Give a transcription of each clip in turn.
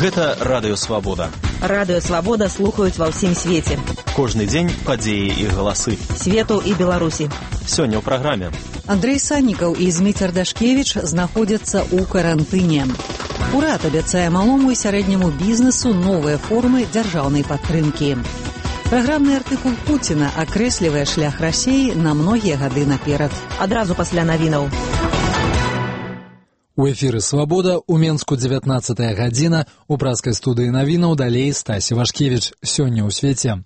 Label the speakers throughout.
Speaker 1: Гэта Радыё Свабода.
Speaker 2: Радыё Свабода слухаюць ва ўсім свеце.
Speaker 1: Кожны дзень падзеі і галасы.
Speaker 2: Свету і Беларусі.
Speaker 1: Сёння ў праграме.
Speaker 3: Андрэй Саннікаў і Зміцер Дашкевіч знаходзяцца ў карантыне. Урад абяцае малому і сярэдняму бізнесу новыя формы дзяржаўнай падтрымкі. Праграмны артыкул Пуціна акрэслівае шлях Расіі на многія гады наперад.
Speaker 2: Адразу пасля навінаў.
Speaker 4: У эфіры «Свабода» у Менску 19 гадзіна, у праскай студыі навінаў далей Стасі Вашкевіч. Сёння ў свеце.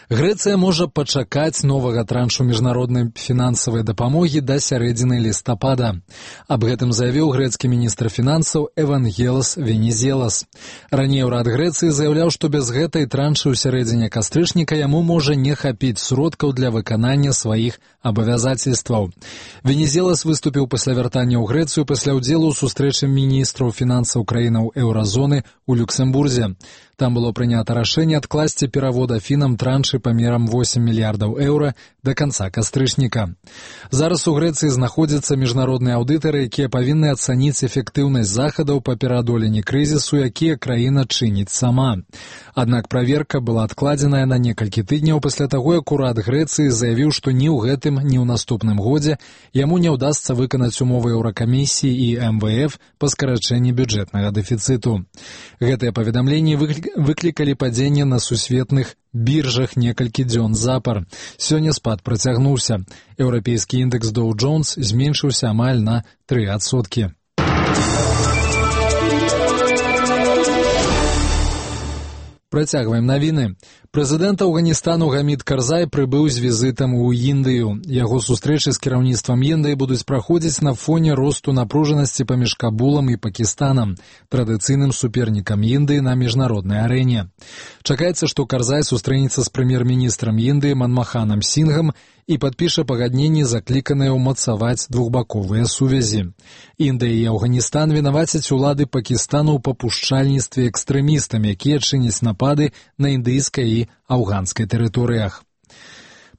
Speaker 4: Грэцыя можа пачакаць новага траншу міжнароднай фінансавай дапамогі да сярэдзіны лістапада. Аб гэтым заявіў грэцкі міністр фінансаў Евангелос Венізелас. Раней урад Грэцыі заяўляў, што без гэтай траншы ў сярэдзіне кастрычніка яму можа не хапіць сродкаў для выканання сваіх абавязацельстваў. Венізелас выступіў пасля вяртання ў Грэцыю пасля ўдзелу ў сустрэчы міністраў фінансаў краінаў еўразоны ў Люксембурзе. Там было прынята рашэнне адкласці перавод афінам траншы памерам 8 мільярдаў еўра да канца кастрычніка. Зараз у Грэцыі знаходзяцца міжнародныя аўдытары, якія павінны ацаніць эфектыўнасць захадаў па пераадоленні крызісу, якія краіна чыніць сама. Аднак праверка была адкладзеная на некалькі тыдняў пасля таго, як урад Грэцыі заявіў, што ні ў гэтым, ні ў наступным годзе яму не ўдасца выканаць умовы Еўракамісіі і МВФ па скарачэнні бюджэтнага дэфіцыту. Гэтыя паведамленні выклікалі падзенне на сусветных біржах некалькі дзён запар. Сёння спад працягнуўся. Еўрапейскі індэкс Dow Jones зменшыўся амаль на 3%. Працягваем навіны. Прэзідэнт Афганістану Гамід Карзай прыбыў з візітам у Індыю. Яго сустрэчы з кіраўніцтвам Індыі будуць праходзіць на фоне росту напружанасці паміж Кабулам і Пакістанам, традыцыйным супернікам Індыі на міжнароднай арэне. Чакаецца, што Карзай сустрэнецца з прэм'ер-міністрам Індыі Манмаханам Сінгам і падпіша пагадненні, закліканыя ўмацаваць двухбаковыя сувязі. Індыя і Афганістан вінавацяць улады Пакістану ў папушчальніцтве экстрэмістам, якія чыняць напады на індыйскай і афганскай тэрыторыях.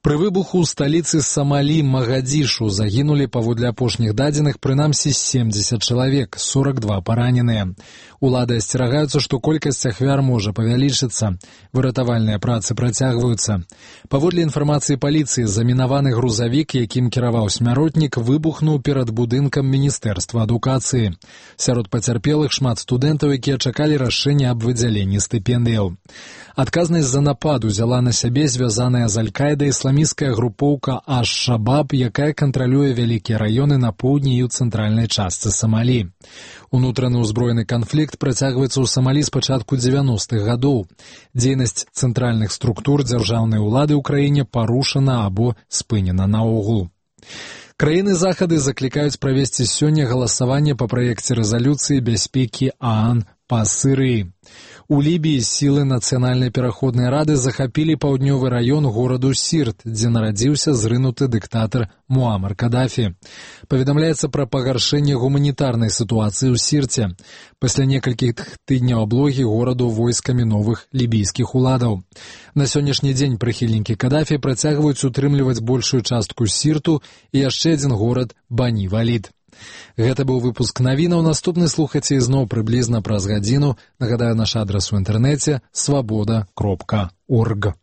Speaker 4: Пры выбуху ў сталіцы Самалі Магадзішу загінулі, паводле апошніх дадзеных, прынамсі 70 чалавек, 42 параненыя. Улады асцерагаюцца, што колькасць ахвяр можа павялічыцца. Выратавальныя працы працягваюцца. Паводле інфармацыі паліцыі, замінаваны грузавік, якім кіраваў смяротнік, выбухнуў перад будынкам Міністэрства адукацыі. Сярод пацярпелых шмат студэнтаў, якія чакалі рашэння аб выдзяленні стыпендыяў. Адказнасць за напад узяла на сябе звязаная з Аль-Каідай ісламісцкая групоўка Аш-Шабаб, якая кантралюе вялікія раёны на поўдні і ў цэнтральнай частцы Самалі. Унутраны ўзброены канфлікт працягваецца ў Самалі з пачатку 90-х гадоў. Дзейнасць цэнтральных структур дзяржаўнай улады ў краіне парушана або спынена наогул. Краіны захады заклікаюць правесці сёння галасаванне па праекце рэзалюцыі бяспекі ААН па Сірыі. У Лібіі сілы Нацыянальнай пераходнай рады захапілі паўднёвы раён гораду Сірт, дзе нарадзіўся зрынуты дыктатар Муамар Кадафі. Паведамляецца пра пагаршэнне гуманітарнай сітуацыі ў Сірце. Пасля некалькіх тыдняў аблогі гораду войскамі новых лібійскіх уладаў. На сённяшні дзень прыхільнікі Кадафі працягваюць утрымліваць большую частку Сірту і яшчэ адзін горад Бані-Валід. Гэта быў выпуск навінаў. Наступны слухаце ізноў прыблізна праз гадзіну. Нагадаю, наш адрас у інтэрнэце — swaboda.org.